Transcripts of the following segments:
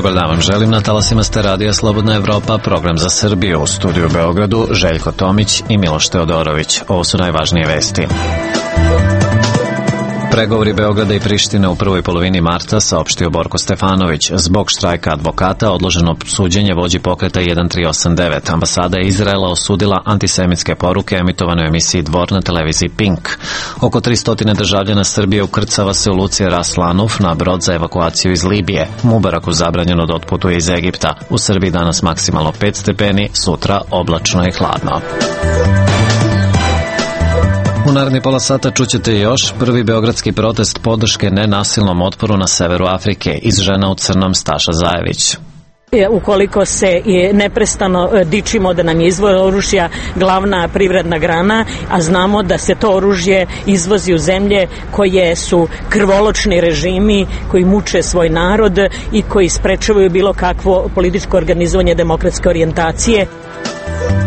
Dobar dan vam želim, na talasima ste Radija Slobodna Evropa, program za Srbiju. U studiju u Beogradu Željko Tomić i Miloš Teodorović. Ovo su najvažnije vesti. Pregovori Beograda i Prištine u prvoj polovini marta, saopštio Borko Stefanović. Zbog štrajka advokata odloženo suđenje vođi pokreta 1389. Ambasada Izraela osudila antisemitske poruke emitovane u emisiji Dvor na televiziji Pink. Oko 300 državljana Srbije ukrcava se u luci Ras Lanuf na brod za evakuaciju iz Libije. Mubaraku zabranjeno da otputuje iz Egipta. U Srbiji danas maksimalno 5 stepeni, sutra oblačno i hladno. U naredni pola sata čućete još prvi beogradski protest podrške nenasilnom otporu na severu Afrike. Iz Žena u crnom Staša Zajević. Ukoliko se neprestano dičimo da nam je izvoz oružja glavna privredna grana, a znamo da se to oružje izvozi u zemlje koje su krvoločni režimi, koji muče svoj narod i koji sprečavaju bilo kakvo političko organizovanje demokratske orijentacije.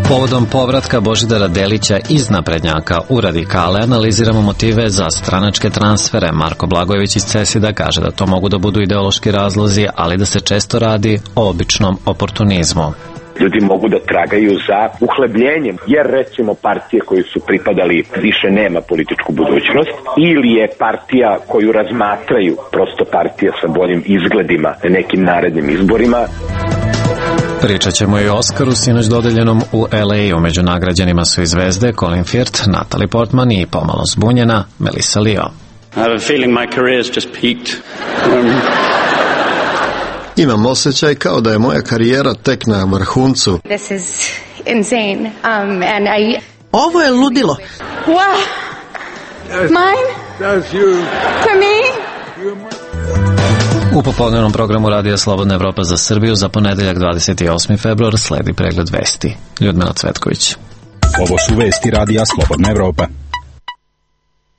Povodom povratka Božidara Delića iz naprednjaka u radikale analiziramo motive za stranačke transfere. Marko Blagojević iz CESID-a kaže da to mogu da budu ideološki razlozi, ali da se često radi o običnom oportunizmu. Ljudi mogu da tragaju za uhlebljenjem, jer recimo partije koje su pripadali više nema političku budućnost, ili je partija koju razmatraju prosto partija sa boljim izgledima na nekim narednim izborima. Pričat ćemo i o Oskaru, sinoć dodeljenom u LA. Među nagrađenima su i zvezde Colin Firth, Natalie Portman i pomalo zbunjena Melissa Leo. I have a feeling my career's just peaked. Imam osjećaj kao da je moja karijera tek na vrhuncu. This is insane. And Ovo je ludilo. Wow. Mine? That's you. For me? U popodnevnom programu Radija Slobodna Evropa za Srbiju za ponedeljak 28. februar sledi pregled vesti. Ljudmila Cvetković. Ovo su vesti Radija Slobodna Evropa.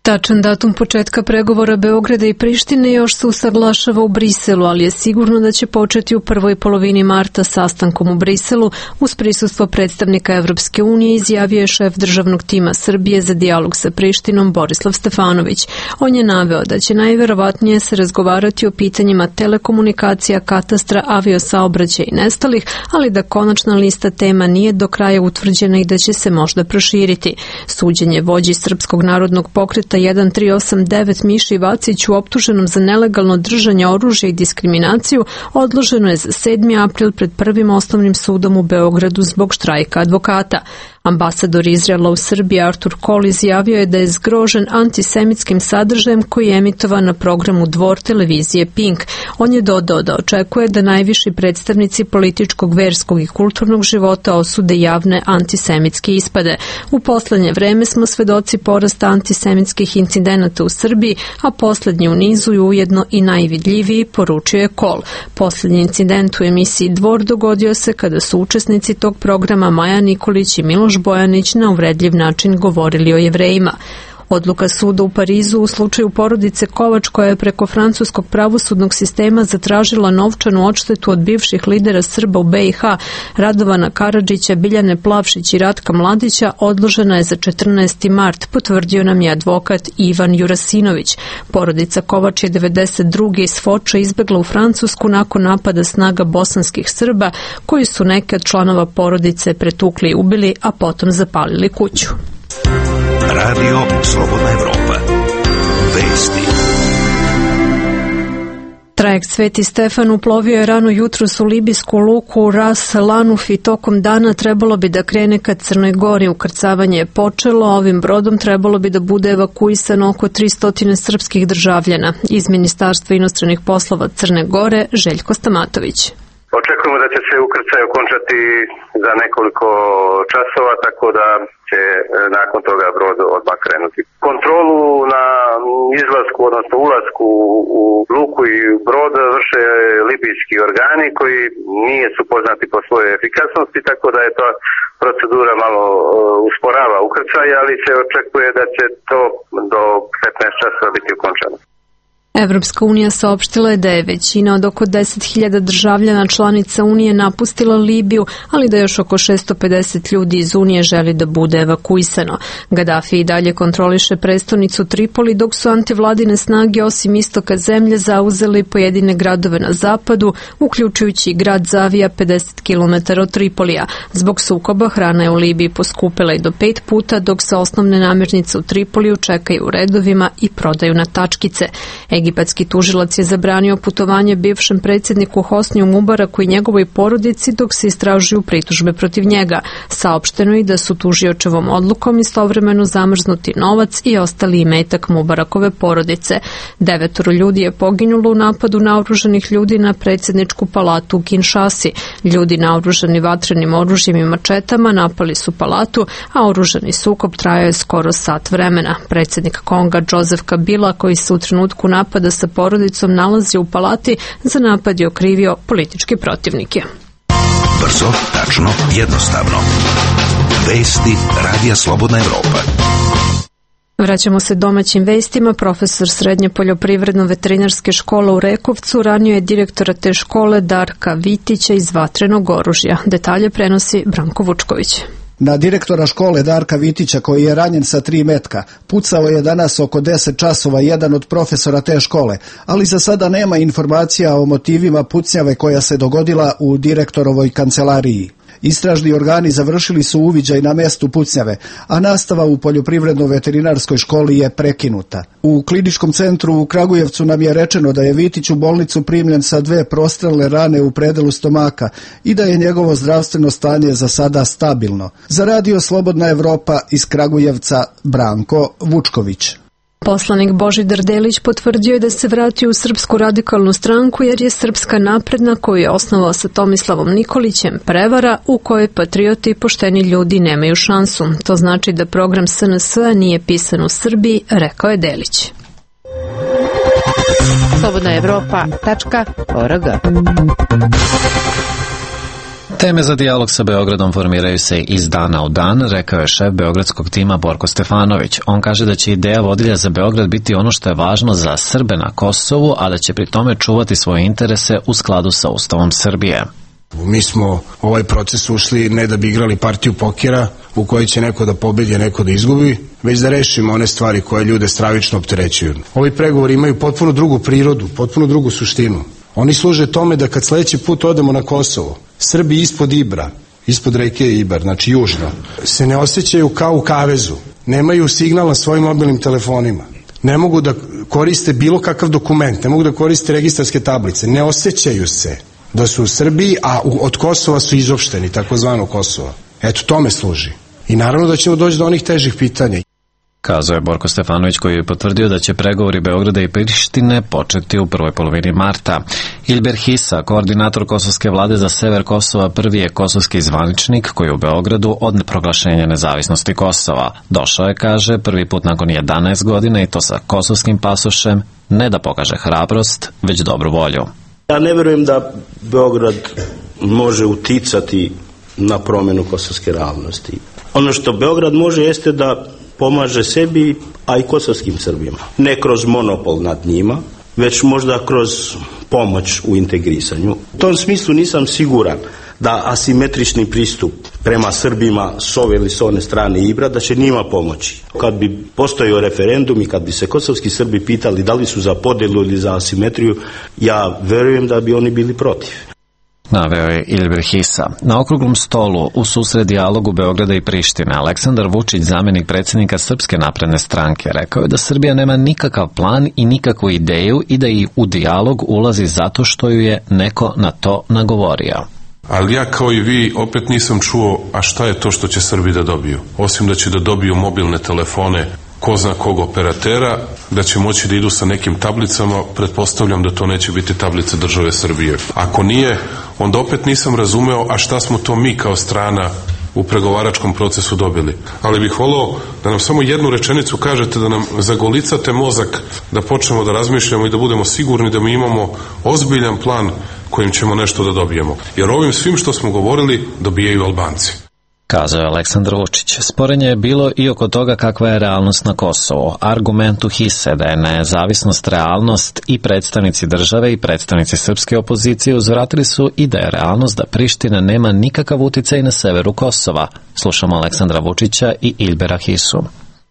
Tačan datum početka pregovora Beograda i Prištine još se usaglašava u Briselu, ali je sigurno da će početi u prvoj polovini marta sastankom u Briselu uz prisustvo predstavnika Evropske unije, izjavio je šef državnog tima Srbije za dijalog sa Prištinom Borislav Stefanović. On je naveo da će najverovatnije se razgovarati o pitanjima telekomunikacija, katastra, aviosaobraćaja i nestalih, ali da konačna lista tema nije do kraja utvrđena i da će se možda proširiti. Suđenje vođi Srpskog narodnog pokreta 1389 Miši Vaciću optuženom za nelegalno držanje oružja i diskriminaciju odloženo je za 7. april pred Prvim osnovnim sudom u Beogradu zbog štrajka advokata. Ambasador Izraela u Srbiji Artur Kol izjavio je da je zgrožen antisemitskim sadržajem koji je emitovan na programu Dvor televizije Pink. On je dodao da očekuje da najviši predstavnici političkog, verskog i kulturnog života osude javne antisemitske ispade. U poslednje vreme smo svedoci porasta antisemitskih incidenata u Srbiji, a poslednji u nizu je ujedno i najvidljiviji, poručio je Kol. Poslednji incident u emisiji Dvor dogodio se kada su učesnici tog programa Maja Nikolić i Miloš Bojanić na uvredljiv način govorili o Jevrejima. Odluka suda u Parizu u slučaju porodice Kovač, koja je preko francuskog pravosudnog sistema zatražila novčanu odštetu od bivših lidera Srba u BiH Radovana Karadžića, Biljane Plavšić i Ratka Mladića, odložena je za 14. mart, potvrdio nam je advokat Ivan Jurasinović. Porodica Kovač je 92. iz Foča izbegla u Francusku nakon napada snaga bosanskih Srba, koji su neke od članova porodice pretukli i ubili, a potom zapalili kuću. Radio Slobodna Evropa. Vesti. Trajekt Sveti Stefan uplovio je rano jutros u libijsku luku Ras Lanuf i tokom dana trebalo bi da krene ka Crnoj Gori. Ukrcavanje je počelo, a ovim brodom trebalo bi da bude evakuisano oko 300 srpskih državljana. Iz Ministarstva inostranih poslova Crne Gore, Željko Stamatović. Očekujemo da će se ukrcaj okončati za nekoliko časova, tako da će nakon toga brod odmah krenuti. Kontrolu na izlasku, odnosno ulasku u luku i brod vrše libijski organi koji nije su poznati po svojoj efikasnosti, tako da je ta procedura malo usporava ukrcaj, ali se očekuje da će to do 15 časova biti ukončano. Evropska unija saopštila je da je većina od oko 10.000 državljana članica Unije napustila Libiju, ali da još oko 650 ljudi iz Unije želi da bude evakuisano. Gaddafi i dalje kontroliše prestonicu Tripoli, dok su antivladine snage osim istoka zemlje zauzeli pojedine gradove na zapadu, uključujući i grad Zavija 50 km od Tripolija. Zbog sukoba hrana je u Libiji poskupila i do 5 puta, dok se osnovne namirnice u Tripoliju čekaju u redovima i prodaju na tačkice. Egipatski tužilac je zabranio putovanje bivšem predsjedniku Hosniju Mubaraku i njegovoj porodici dok se istražuju pritužbe protiv njega. Saopšteno je da su tužiočevom odlukom istovremeno zamrznuti novac i ostali imetak Mubarakove porodice. 9 ljudi je poginulo u napadu naoružanih ljudi na predsjedničku palatu u Kinshasi. Ljudi naoružani vatrenim oružjem i mačetama napali su palatu, a oružani sukob trajao je skoro sat vremena. Predsjednik Konga Joseph Kabila, koji se u trenutku napada sa porodicom nalazi u palati, za napad je okrivio političke protivnike. Brzo, tačno, jednostavno. Vesti Radija Slobodna Evropa. Vraćamo se domaćim vestima. Profesor Srednje poljoprivredno-veterinarske škole u Rekovcu ranio je direktora te škole Darka Vitića iz vatrenog oružja. Detalje prenosi Branko Vučković. Na direktora škole Darka Vitića, koji je ranjen sa 3 metka, pucao je danas oko 10 časova jedan od profesora te škole, ali za sada nema informacija o motivima pucnjave koja se dogodila u direktorovoj kancelariji. Istražni organi završili su uviđaj na mestu pucnjave, a nastava u poljoprivredno-veterinarskoj školi je prekinuta. U kliničkom centru u Kragujevcu nam je rečeno da je Vitić u bolnicu primljen sa 2 prostrelne rane u predelu stomaka i da je njegovo zdravstveno stanje za sada stabilno. Za Radio Slobodna Evropa iz Kragujevca, Branko Vučković. Poslanik Božidar Delić potvrdio je da se vratio u Srpsku radikalnu stranku jer je Srpska napredna, koju je osnovao sa Tomislavom Nikolićem, prevara u kojoj patrioti i pošteni ljudi nemaju šansu. To znači da program SNS-a nije pisan u Srbiji, rekao je Delić. slobodnaevropa.org. Teme za dijalog sa Beogradom formiraju se iz dana u dan, rekao je šef beogradskog tima Borko Stefanović. On kaže da će ideja vodilja za Beograd biti ono što je važno za Srbe na Kosovu, a da će pri tome čuvati svoje interese u skladu sa Ustavom Srbije. Mi smo ovaj proces ušli ne da bi igrali partiju pokera u kojoj će neko da pobedi, a neko da izgubi, već da rešimo one stvari koje ljude stravično opterećuju. Ovi pregovori imaju potpuno drugu prirodu, potpuno drugu suštinu. Oni služe tome da kad sledeći put odemo na Kosovo, Srbi ispod Ibra, ispod reke Ibar, znači južno, se ne osjećaju kao u kavezu, nemaju signal na svojim mobilnim telefonima, ne mogu da koriste bilo kakav dokument, ne mogu da koriste registarske tablice, ne osjećaju se da su u Srbiji, a od Kosova su izopšteni, takozvano Kosova. Eto, tome služi. I naravno da ćemo doći do onih težih pitanja. Kazao je Borko Stefanović, koji je potvrdio da će pregovori Beograda i Prištine početi u prvoj polovini marta. Ilber Hisa, koordinator kosovske vlade za sever Kosova, prvi je kosovski zvaničnik koji je u Beogradu od proglašenja nezavisnosti Kosova. Došao je, kaže, prvi put nakon 11 godina i to sa kosovskim pasošem, ne da pokaže hrabrost, već dobru volju. Ja ne verujem da Beograd može uticati na promjenu kosovske realnosti. Ono što Beograd može jeste da pomaže sebi, a i kosovskim Srbima. Ne kroz monopol nad njima, već možda kroz pomoć u integrisanju. U tom smislu nisam siguran da asimetrični pristup prema Srbima s ove ili s one strane Ibra, da će njima pomoći. Kad bi postojao referendum i kad bi se kosovski Srbi pitali da li su za podelu ili za asimetriju, ja verujem da bi oni bili protiv. Naveo je Ilber Hisa. Na okruglom stolu u susret dijalogu Beograda i Prištine Aleksandar Vučić, zamjenik predsjednika Srpske napredne stranke, rekao je da Srbija nema nikakav plan i nikakvu ideju i da i u dijalog ulazi zato što ju je neko na to nagovorio. Ali ja kao i vi opet nisam čuo, a šta je to što će Srbi da dobiju? Osim da će da dobiju mobilne telefone ko zna kog operatera, da će moći da idu sa nekim tablicama, pretpostavljam da to neće biti tablice države Srbije. Ako nije, onda opet nisam razumeo, a šta smo to mi kao strana u pregovaračkom procesu dobili. Ali bih voleo da nam samo jednu rečenicu kažete, da nam zagolicate mozak, da počnemo da razmišljamo i da budemo sigurni da mi imamo ozbiljan plan kojim ćemo nešto da dobijemo. Jer ovim svim što smo govorili dobijaju Albanci. Kazao je Aleksandar Vučić. Sporenje je bilo i oko toga kakva je realnost na Kosovu. Argument uhise da je nezavisnost realnost i predstavnici države i predstavnici srpske opozicije uzvratili su i da je realnost da Priština nema nikakav uticaj na severu Kosova. Slušamo Aleksandra Vučića i Ilbera Hisu.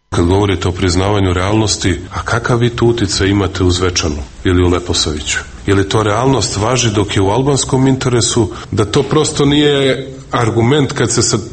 Kad govorite o priznavanju realnosti, a kakav vi tu uticaj imate u Zvečanu ili u Leposaviću? Je li to realnost važi dok je u albanskom interesu, da to prosto nije argument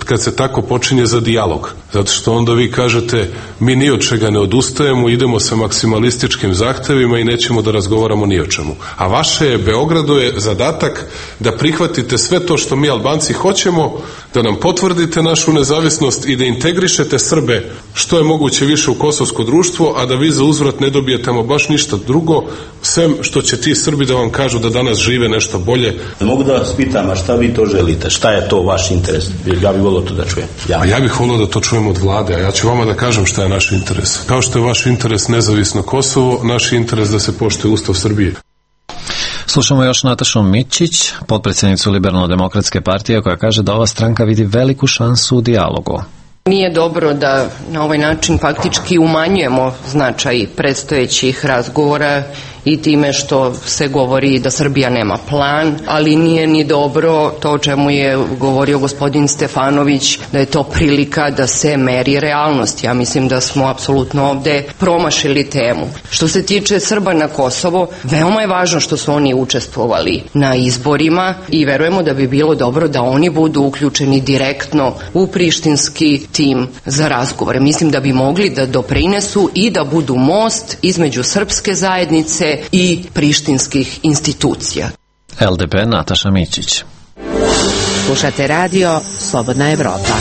kad se tako počinje za dijalog? Zato što onda vi kažete, mi ni od čega ne odustajemo, idemo sa maksimalističkim zahtevima i nećemo da razgovaramo ni o čemu. A vaše je, Beogradu je zadatak da prihvatite sve to što mi Albanci hoćemo, da nam potvrdite našu nezavisnost i da integrišete Srbe što je moguće više u kosovsko društvo, a da vi za uzvrat ne dobijete baš ništa drugo, sem što će ti Srbi da vam kažu da danas žive nešto bolje. Mogu da vas pitam, a šta vi to želite? Šta je to vaš interes? Ja bih volio to da čujem. Ja bih volio da to čujem od vlade, a ja ću vama da kažem šta je naš interes. Kao što je vaš interes nezavisno Kosovo, naš interes da se poštuje Ustav Srbije. Slušamo još Natašu Mićić, potpredsjednicu Liberalno-demokratske partije, koja kaže da ova stranka vidi veliku šansu u dijalogu. Nije dobro da na ovaj način faktički umanjujemo značaj predstojećih razgovora i time što se govori da Srbija nema plan, ali nije ni dobro to o čemu je govorio gospodin Stefanović, da je to prilika da se meri realnost. Ja mislim da smo apsolutno ovde promašili temu. Što se tiče Srba na Kosovo, veoma je važno što su oni učestvovali na izborima i verujemo da bi bilo dobro da oni budu uključeni direktno u prištinski tim za razgovore. Mislim da bi mogli da doprinesu i da budu most između srpske zajednice i prištinskih institucija. LDP Nataša Mićić. Slušate radio Slobodna Evropa.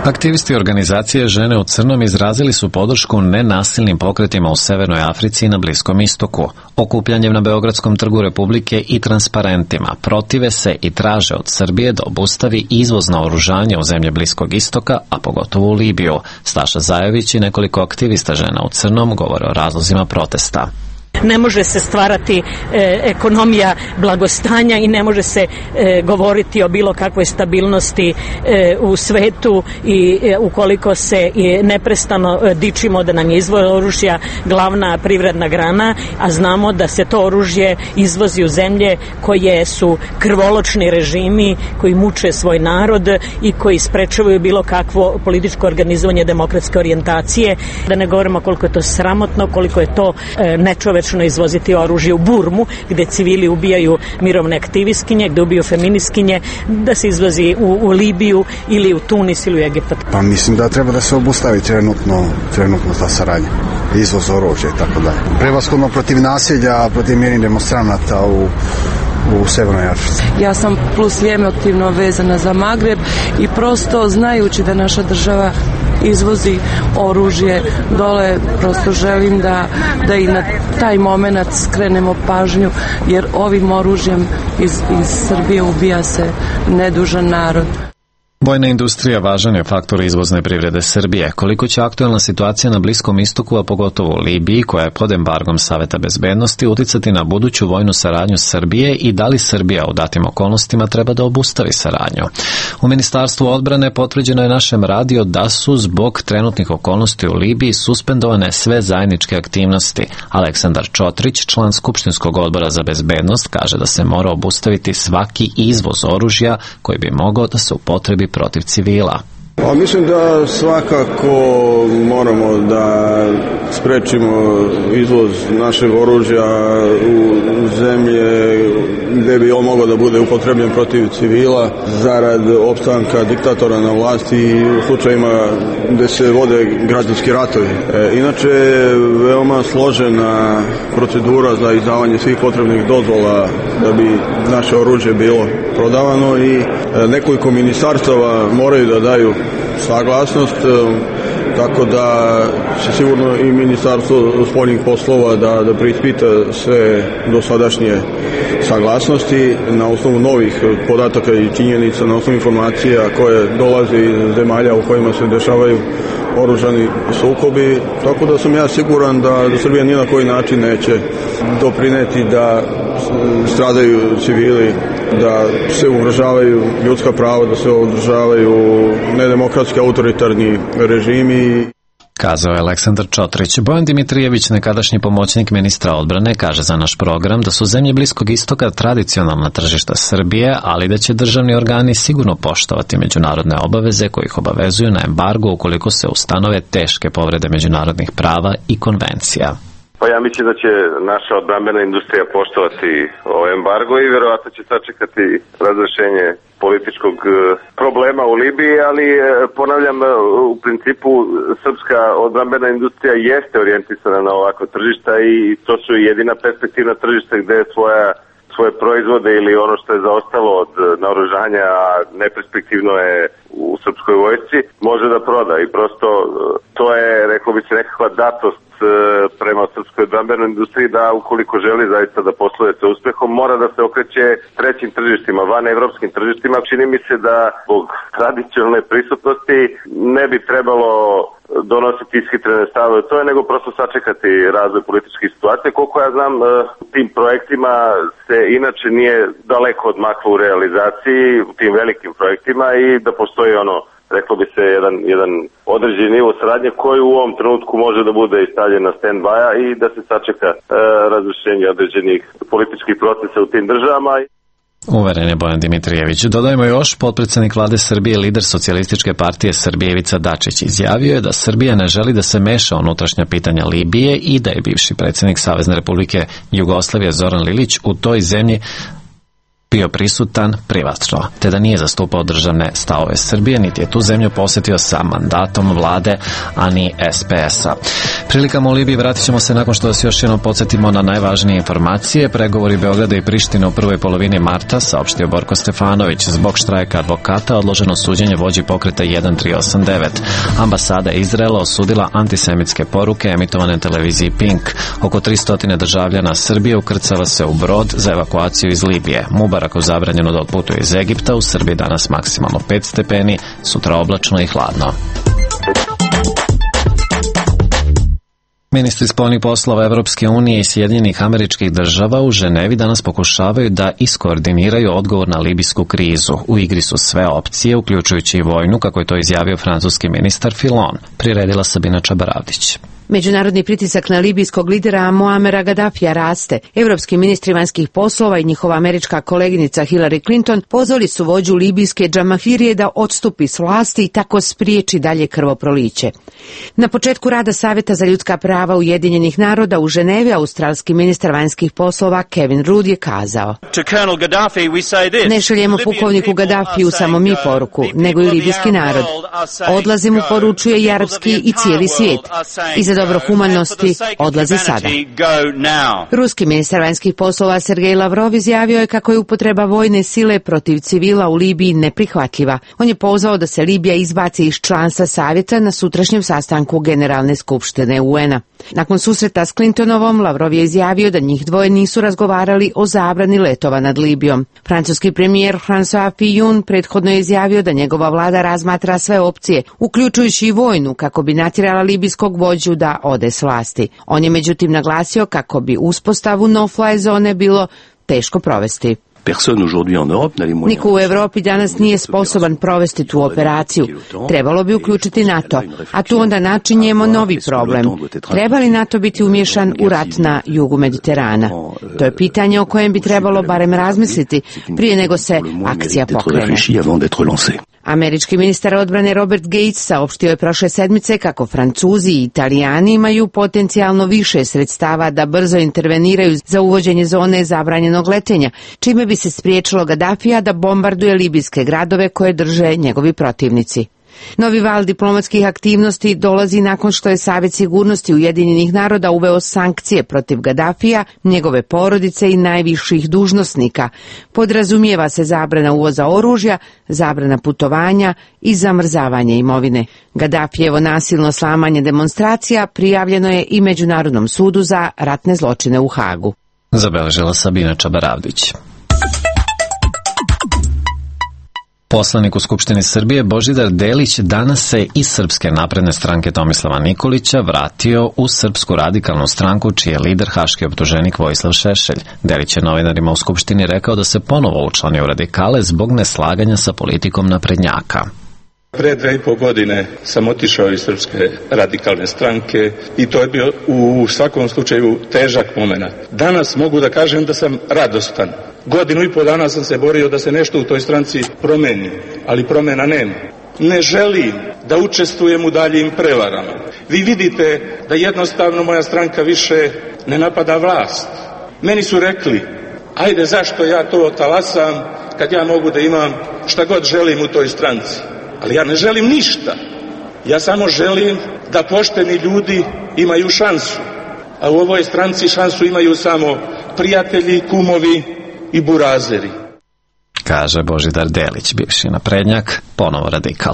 Aktivisti organizacije Žene u crnom izrazili su podršku nenasilnim pokretima u Severnoj Africi i na Bliskom istoku. Okupljanjem na Beogradskom trgu Republike i transparentima protive se i traže od Srbije da obustavi izvoz naoružanja u zemlje Bliskog istoka, a pogotovo u Libiju. Staša Zajović i nekoliko aktivista Žena u crnom govore o razlozima protesta. Ne može se stvarati ekonomija blagostanja i ne može se govoriti o bilo kakvoj stabilnosti u svetu i ukoliko se neprestano dičimo da nam je izvoz oružja glavna privredna grana, a znamo da se to oružje izvozi u zemlje koje su krvoločni režimi, koji muče svoj narod i koji sprečavaju bilo kakvo političko organizovanje demokratske orijentacije. Da ne govorimo koliko je to sramotno, koliko je to nečovečno izvoziti oružje u Burmu, gde civili ubijaju mirovne aktivistkinje, gde ubiju feministkinje, da se izvozi u Libiju ili u Tunis ili u Egipat. Pa mislim da treba da se obustavi trenutno ta saradnja, izvoz oružja i tako dalje. Prevashodno protiv nasilja, protiv mirnih demonstranata u Severnoj Africi. Ja sam plus emotivno vezana za Magreb i prosto znajući da naša država izvozi oružje dole, prosto želim da i na taj moment skrenemo pažnju, jer ovim oružjem iz Srbije ubija se nedužan narod. Vojna industrija važan je faktor izvozne privrede Srbije. Koliko će aktuelna situacija na Bliskom istoku, a pogotovo u Libiji, koja je pod embargom Saveta bezbednosti, uticati na buduću vojnu saradnju Srbije i da li Srbija u datim okolnostima treba da obustavi saradnju? U Ministarstvu odbrane potvrđeno je našem radiju da su zbog trenutnih okolnosti u Libiji suspendovane sve zajedničke aktivnosti. Aleksandar Čotrić, član Skupštinskog odbora za bezbednost, kaže da se mora obustaviti svaki izvoz oružja koji bi mogao da se upotrebi protiv civila. Pa mislim da svakako moramo da sprečimo izvoz našeg oružja u zemlje gde bi on mogao da bude upotrebljen protiv civila zarad opstanka diktatora na vlasti i u slučajima gde se vode građanski ratovi. Inače je veoma složena procedura za izdavanje svih potrebnih dozvola da bi naše oružje bilo prodavano i nekoliko ministarstava moraju da daju saglasnost, tako da će sigurno i Ministarstvo spoljnih poslova da preispita sve dosadašnje saglasnosti na osnovu novih podataka i činjenica, na osnovu informacija koje dolaze iz zemalja u kojima se dešavaju oružani sukobi, tako da sam ja siguran da Srbija ni na koji način neće doprineti da stradaju civili, da se ugrožavaju ljudska prava, da se ugrožavaju nedemokratski autoritarni režimi. Kazao je Aleksandar Čotrić. Bojan Dimitrijević, nekadašnji pomoćnik ministra odbrane, kaže za naš program da su zemlje Bliskog istoka tradicionalna tržišta Srbije, ali da će državni organi sigurno poštovati međunarodne obaveze koji ih obavezuju na embargo ukoliko se ustanove teške povrede međunarodnih prava i konvencija. Pa ja mislim da će naša odbrambena industrija poštovati ovaj embargo i verovatno će sačekati razrešenje političkog problema u Libiji, ali ponavljam, u principu srpska odbrambena industrija jeste orijentisana na ovakva tržišta i to su jedina perspektivna tržišta gde svoje proizvode ili ono što je zaostalo od naoružanja, a neperspektivno je u srpskoj vojsci, može da proda i prosto to je, rekao bi se, nekakva datost prema srpskoj odbrambenoj industriji da ukoliko želi zaista da posluje sa uspehom mora da se okreće trećim tržištima, van evropskim tržištima. Čini mi se da zbog tradicionalne prisutnosti ne bi trebalo donositi ishitrene stavove to je, nego prosto sačekati razvoj političkih situacija. Koliko ja znam, tim projektima se inače nije daleko odmaklo u realizaciji, u tim velikim projektima i da postoji reklo bi se, jedan određeni nivo saradnje koji u ovom trenutku može da bude stavljen na stand-by-a i da se sačeka razrešenje određenih političkih procesa u tim državama. Uveren je Bojan Dimitrijević. Dodajmo još, potpredsednik vlade Srbije, lider Socijalističke partije Srbije Ivica Dačić izjavio je da Srbija ne želi da se meša u unutrašnja pitanja Libije i da je bivši predsednik Savezne Republike Jugoslavije Zoran Lilić u toj zemlji bio prisutan privatno, te da nije zastupao državne stavove Srbije, niti je tu zemlju posetio sa mandatom vlade, a ni SPS-a. Prilikama u Libiji vratit ćemo se nakon što vas još jednom podsjetimo na najvažnije informacije. Pregovori Beograda i Prištine u prvoj polovini marta, saopštio Borko Stefanović. Zbog štrajka advokata odloženo suđenje vođi pokreta 1389. Ambasada Izraela osudila antisemitske poruke emitovane na televiziji Pink. Oko 300 državljana Srbije ukrcava se u brod za evakuaciju iz Libije. Mubaraku zabranjeno da otputuje iz Egipta, u Srbiji danas maksimalno 5 stepeni, sutra oblačno i hladno. Ministri spoljnih poslova Evropske unije i Sjedinjenih Američkih Država u Ženevi danas pokušavaju da iskoordiniraju odgovor na libijsku krizu. U igri su sve opcije, uključujući i vojnu, kako je to izjavio francuski ministar Filon. Priredila Sabina Čabaravdić. Međunarodni pritisak na libijskog lidera Muamera Gaddafija raste. Evropski ministri vanjskih poslova i njihova američka koleginica Hillary Clinton pozvali su vođu libijske Džamahirije da odstupi s vlasti i tako spriječi dalje krvoproliće. Na početku rada Saveta za ljudska prava Ujedinjenih naroda u Ženevi australski ministar vanjskih poslova Kevin Rudd je kazao: ne šaljemo pukovniku Gaddafiju samo mi poruku, nego i libijski narod. Odlazi mu poručuje i arapski i cijeli svijet. I za dobro humanosti odlazi sada. Ruski ministar vanjskih poslova Sergej Lavrov izjavio je kako je upotreba vojne sile protiv civila u Libiji neprihvatljiva. On je pozvao da se Libija izbaci iz članstva savjeta na sutrašnjem sastanku Generalne skupštine UN-a. Nakon susreta s Clintonovom, Lavrov je izjavio da njih dvoje nisu razgovarali o zabrani letova nad Libijom. Francuski premijer François Fillon prethodno je izjavio da njegova vlada razmatra sve opcije, uključujući i vojnu, kako bi natjerala libijskog vođu da ode s vlasti. On je međutim naglasio kako bi uspostavu no-fly zone bilo teško provesti. Niko u Evropi danas nije sposoban provesti tu operaciju. Trebalo bi uključiti NATO, a tu onda načinjemo novi problem. Treba li NATO biti umješan u rat na jugu Mediterana? To je pitanje o kojem bi trebalo barem razmisliti prije nego se akcija pokrene. Američki ministar odbrane Robert Gates saopštio je prošle sedmice kako Francuzi i Italijani imaju potencijalno više sredstava da brzo interveniraju za uvođenje zone zabranjenog letenja, čime bi se spriječilo Gaddafija da bombarduje libijske gradove koje drže njegovi protivnici. Novi val diplomatskih aktivnosti dolazi nakon što je Savet sigurnosti Ujedinjenih naroda uveo sankcije protiv Gaddafija, njegove porodice i najviših dužnosnika. Podrazumijeva se zabrana uvoza oružja, zabrana putovanja i zamrzavanje imovine. Gaddafijevo nasilno slamanje demonstracija prijavljeno je i Međunarodnom sudu za ratne zločine u Hagu. Zabeležila Sabina Čabaravdić. Poslanik u Skupštini Srbije Božidar Delić danas se iz Srpske napredne stranke Tomislava Nikolića vratio u Srpsku radikalnu stranku, čiji je lider haški optuženik Vojislav Šešelj. Delić je novinarima u Skupštini rekao da se ponovo učlanio u radikale zbog neslaganja sa politikom naprednjaka. Pre 2,5 godine sam otišao iz Srpske radikalne stranke i to je bio u svakom slučaju težak moment. Danas mogu da kažem da sam radostan. 1,5 dana sam se borio da se nešto u toj stranci promeni, ali promena nema. Ne želim da učestvujem u daljim prevarama. Vi vidite da jednostavno moja stranka više ne napada vlast. Meni su rekli, ajde zašto ja to talasam kad ja mogu da imam šta god želim u toj stranci. Ali ja ne želim ništa. Ja samo želim da pošteni ljudi imaju šansu. A u ovoj stranci šansu imaju samo prijatelji, kumovi i burazeri. Kaže Božidar Delić, bivši naprednjak, ponovo radikal.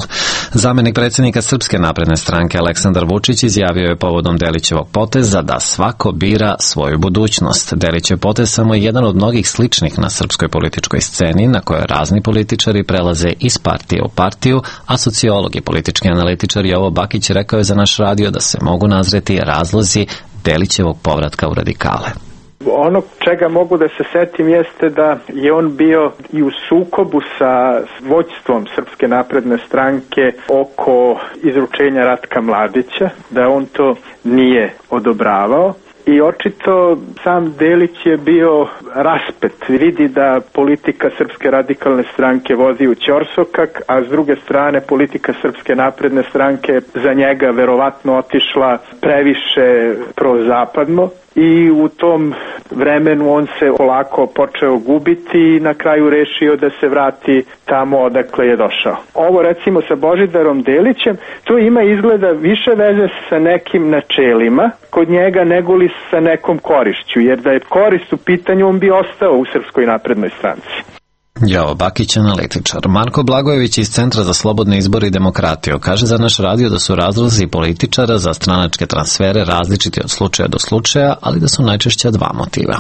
Zamenik predsjednika Srpske napredne stranke Aleksandar Vučić izjavio je povodom Delićevog poteza da svako bira svoju budućnost. Delićev potez samo je jedan od mnogih sličnih na srpskoj političkoj sceni, na kojoj razni političari prelaze iz partije u partiju, a sociolog i politički analitičar Jovo Bakić rekao je za naš radio da se mogu nazreti razlozi Delićevog povratka u radikale. Ono čega mogu da se setim jeste da je on bio i u sukobu sa vođstvom Srpske napredne stranke oko izručenja Ratka Mladića, da on to nije odobravao. I očito sam Delić je bio raspet. Vidi da politika Srpske radikalne stranke vozi u ćorsokak, a s druge strane politika Srpske napredne stranke za njega verovatno otišla previše prozapadno. I u tom vremenu on se polako počeo gubiti i na kraju rešio da se vrati tamo odakle je došao. Ovo recimo sa Božidarom Delićem, to ima izgleda više veze sa nekim načelima kod njega nego li sa nekom korišću, jer da je korist u pitanju on bi ostao u Srpskoj naprednoj stranci. Jovo Bakić, analitičar. Marko Blagojević iz Centra za slobodne izbore i demokratiju kaže za naš radio da su razlozi političara za stranačke transfere različiti od slučaja do slučaja, ali da su najčešće dva motiva.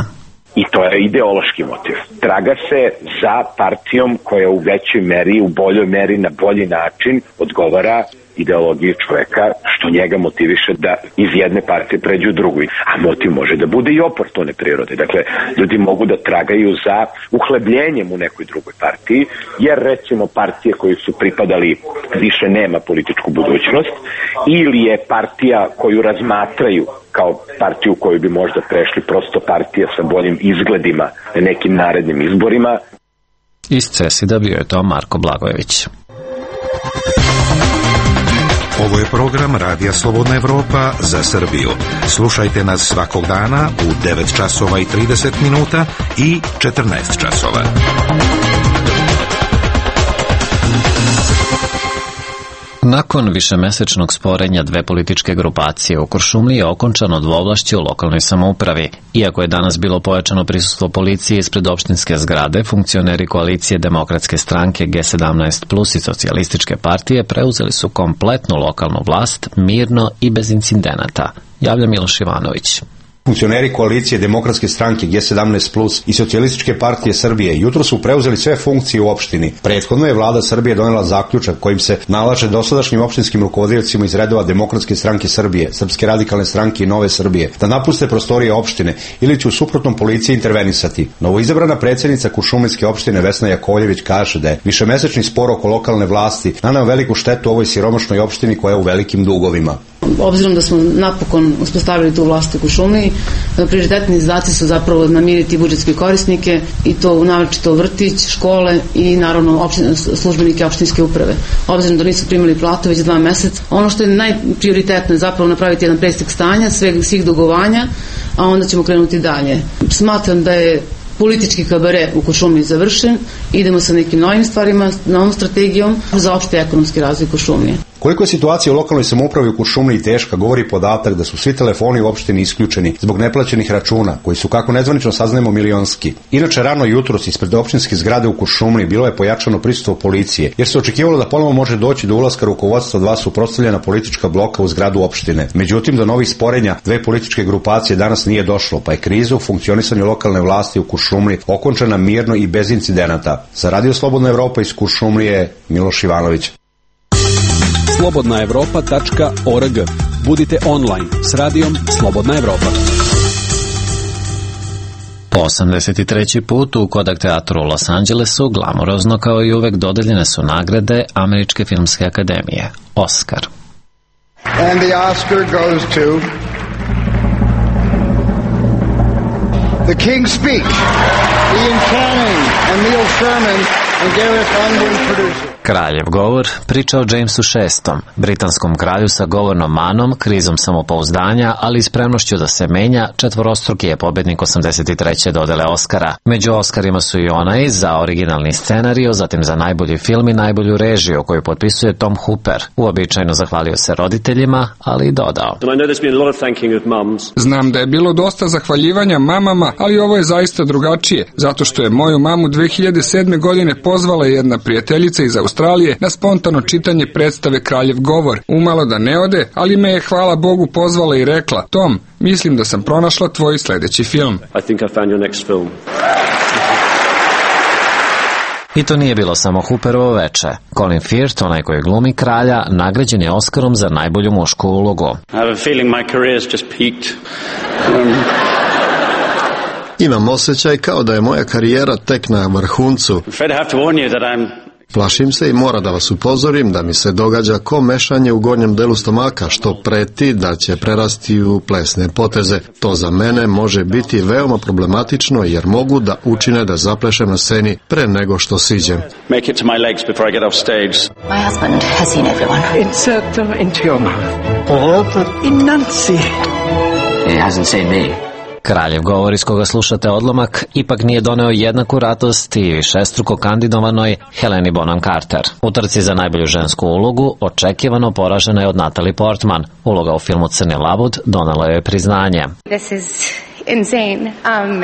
I to je ideološki motiv. Traga se za partijom koja u većoj meri, u boljoj meri, na bolji način odgovara ideologiji čoveka, što njega motiviše da iz jedne partije pređe u drugu. A motiv može da bude i oportune prirode. Dakle, ljudi mogu da tragaju za uhlebljenjem u nekoj drugoj partiji, jer recimo partije koje su pripadali više nema političku budućnost, ili je partija koju razmatraju kao partiju u koju bi možda prešli prosto partija sa boljim izgledima na nekim narednim izborima. Iz CESID-a bio je to Marko Blagojević. Ovo je program Radija Slobodna Evropa za Srbiju. Slušajte nas svakog dana u 9 časova i 30 minuta i 14 časova. Nakon višemesečnog sporenja dve političke grupacije u Kuršumliji je okončano dvovlašće u lokalnoj samoupravi. Iako je danas bilo pojačano prisustvo policije ispred opštinske zgrade, funkcioneri koalicije Demokratske stranke G17+ i Socijalističke partije preuzeli su kompletnu lokalnu vlast mirno i bez incidenata. Javlja Miloš Ivanović. Funkcioneri koalicije Demokratske stranke G17+ i Socijalističke partije Srbije jutro su preuzeli sve funkcije u opštini. Prethodno je vlada Srbije donela zaključak kojim se nalaže dosadašnjim opštinskim rukovodiocima iz redova Demokratske stranke Srbije, Srpske radikalne stranke i Nove Srbije da napuste prostorije opštine ili će u suprotnom policija intervenisati. Novoizabrana predsjednica Kuršumlijske opštine Vesna Jakovljević kaže da je višemesečni spor oko lokalne vlasti naneo veliku štetu ovoj siromašnoj opštini koja je u velikim dugovima. Obzirom da smo napokon uspostavili tu vlast u Kuršumliji, prioritetni zadaci su zapravo namiriti budžetske korisnike i to naročito vrtić, škole i naravno službenike opštinske uprave. Obzirom da nisu primili platu već 2 meseca, ono što je najprioritetno je zapravo napraviti jedan presek stanja svih dugovanja, a onda ćemo krenuti dalje. Smatram da je politički kabare u Kuršumliji završen, idemo sa nekim novim stvarima, novom strategijom za opšte ekonomski razvoj Kuršumlije. Koliko je situacija u lokalnoj samoupravi u Kuršumliji teška, govori podatak da su svi telefoni u opštini isključeni zbog neplaćenih računa, koji su, kako nezvanično saznajemo, milionski. Inače, rano jutros ispred opštinske zgrade u Kuršumliji bilo je pojačano prisustvo policije, jer se očekivalo da ponovo može doći do ulaska rukovodstva dva suprotstavljena politička bloka u zgradu opštine. Međutim, do novih sporenja dve političke grupacije danas nije došlo, pa je kriza u funkcionisanju lokalne vlasti u Kuršumliji okončana mirno i bez incidenata. Za Radio Slobodna Evropa iz Kuršumlije, Miloš Ivanović. slobodnaevropa.org. Budite online s radijom Slobodna Evropa. Po 83. put u Kodak teatru u Los Angelesu glamurozno kao i uvek dodeljene su nagrade Američke filmske akademije, Oscar. And the Oscar goes to The King's Speech, Ian Canning and Neil Sherman and Gareth Unwin producers. Kraljev govor priča o Jamesu VI, britanskom kralju sa govornom manom, krizom samopouzdanja, ali i spremnošću da se menja. Četvorostruki je pobednik 83. dodele Oscara. Među Oscarima su i onaj za originalni scenario, zatim za najbolji film i najbolju režiju, koju potpisuje Tom Hooper. Uobičajeno zahvalio se roditeljima, ali i dodao: Znam da je bilo dosta zahvaljivanja mamama, ali ovo je zaista drugačije, zato što je moju mamu 2007. godine pozvala jedna prijateljica iz Australije na spontano čitanje predstave Kraljev govor. Umalo da ne ode, ali me je, hvala Bogu, pozvala i rekla: Tom, mislim da sam pronašla tvoj sledeći film. I to nije bilo samo Hooperovo veče. Colin Firth, onaj koji glumi kralja, nagrađen je Oscarom za najbolju mušku ulogu. Imam osjećaj kao da je moja karijera tek na vrhuncu. Plašim se i mora da vas upozorim da mi se događa ko mešanje u gornjem delu stomaka, što preti da će prerasti u plesne poteze. To za mene može biti veoma problematično jer mogu da učine da zaplešem na sceni pre nego što siđem. My husband has seen everyone. Insert them into your mouth. Enunciate. He hasn't seen me. Kraljev govor iz koga slušate odlomak ipak nije doneo jednaku radost i višestruko kandidovanoj Heleni Bonham Carter. U trci za najbolju žensku ulogu očekivano poražena je od Natalie Portman. Uloga u filmu Crni labud donela joj priznanje. This is insane. And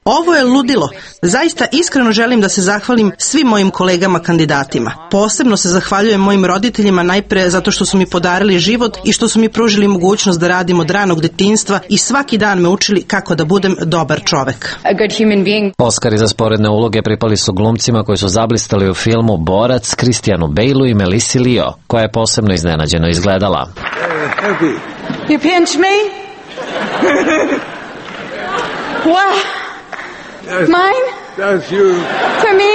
Ovo je ludilo. Zaista iskreno želim da se zahvalim svim mojim kolegama kandidatima. Posebno se zahvaljujem mojim roditeljima najpre zato što su mi podarili život i što su mi pružili mogućnost da radim od ranog detinjstva i svaki dan me učili kako da budem dobar čovek. Oskari za sporedne uloge pripali su glumcima koji su zablistali u filmu Borac, Christianu Bale-u i Melissi Leo, koja je posebno iznenađeno izgledala. You pinch me? Wow. Mine? To me?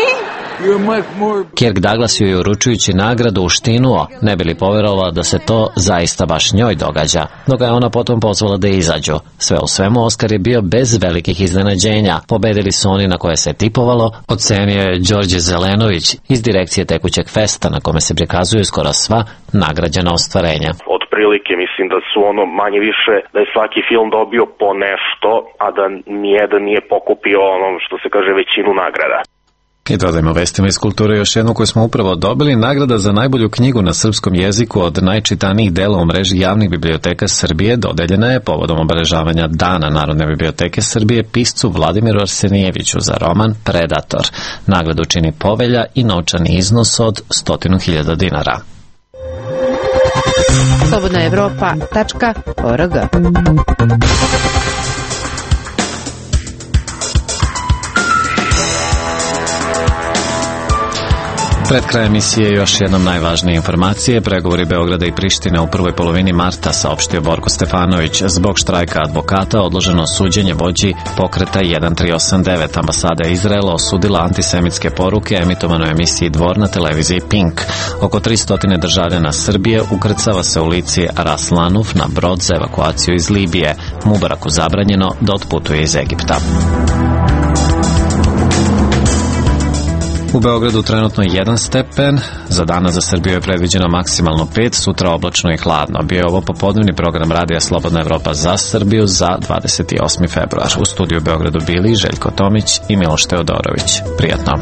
Kirk Douglas ju je uručujući nagradu uštinuo, ne bi li poverovala da se to zaista baš njoj događa, dok ga je ona potom pozvala da izađu. Sve u svemu, Oskar je bio bez velikih iznenađenja. Pobedili su oni na koje se tipovalo, ocenio je Đorđe Zelenović iz direkcije tekućeg festa na kome se prikazuju skoro sva nagrađena ostvarenja. Otprilike mislim da su manje više, da je svaki film dobio po nešto, a da nijedan nije pokupio što se kaže većinu nagrada. I dodajmo vestima iz kulture još jednu koju smo upravo dobili. Nagrada za najbolju knjigu na srpskom jeziku od najčitanijih dela u mreži javnih biblioteka Srbije dodeljena je povodom obeležavanja Dana Narodne biblioteke Srbije piscu Vladimiru Arsenijeviću za roman Predator. Nagradu čini povelja i novčani iznos od 100.000 dinara. slobodnaevropa.org. Pred kraj emisije još jednom najvažnije informacije. Pregovori Beograda i Prištine u prvoj polovini marta, saopštio Borko Stefanović. Zbog štrajka advokata odloženo suđenje vođi pokreta 1389. Ambasada Izraela osudila antisemitske poruke emitovane u emisiji Dvor na televiziji Pink. Oko 300 državljana Srbije ukrcava se u lici Ras Lanuf na brod za evakuaciju iz Libije. Mubaraku zabranjeno da otputuje iz Egipta. U Beogradu trenutno 1 stepen, za danas za Srbiju je predviđeno maksimalno 5, sutra oblačno i hladno. Bio je ovo popodnevni program Radija Slobodna Evropa za Srbiju za 28. februar. U studiju u Beogradu bili Željko Tomić i Miloš Teodorović. Prijatno.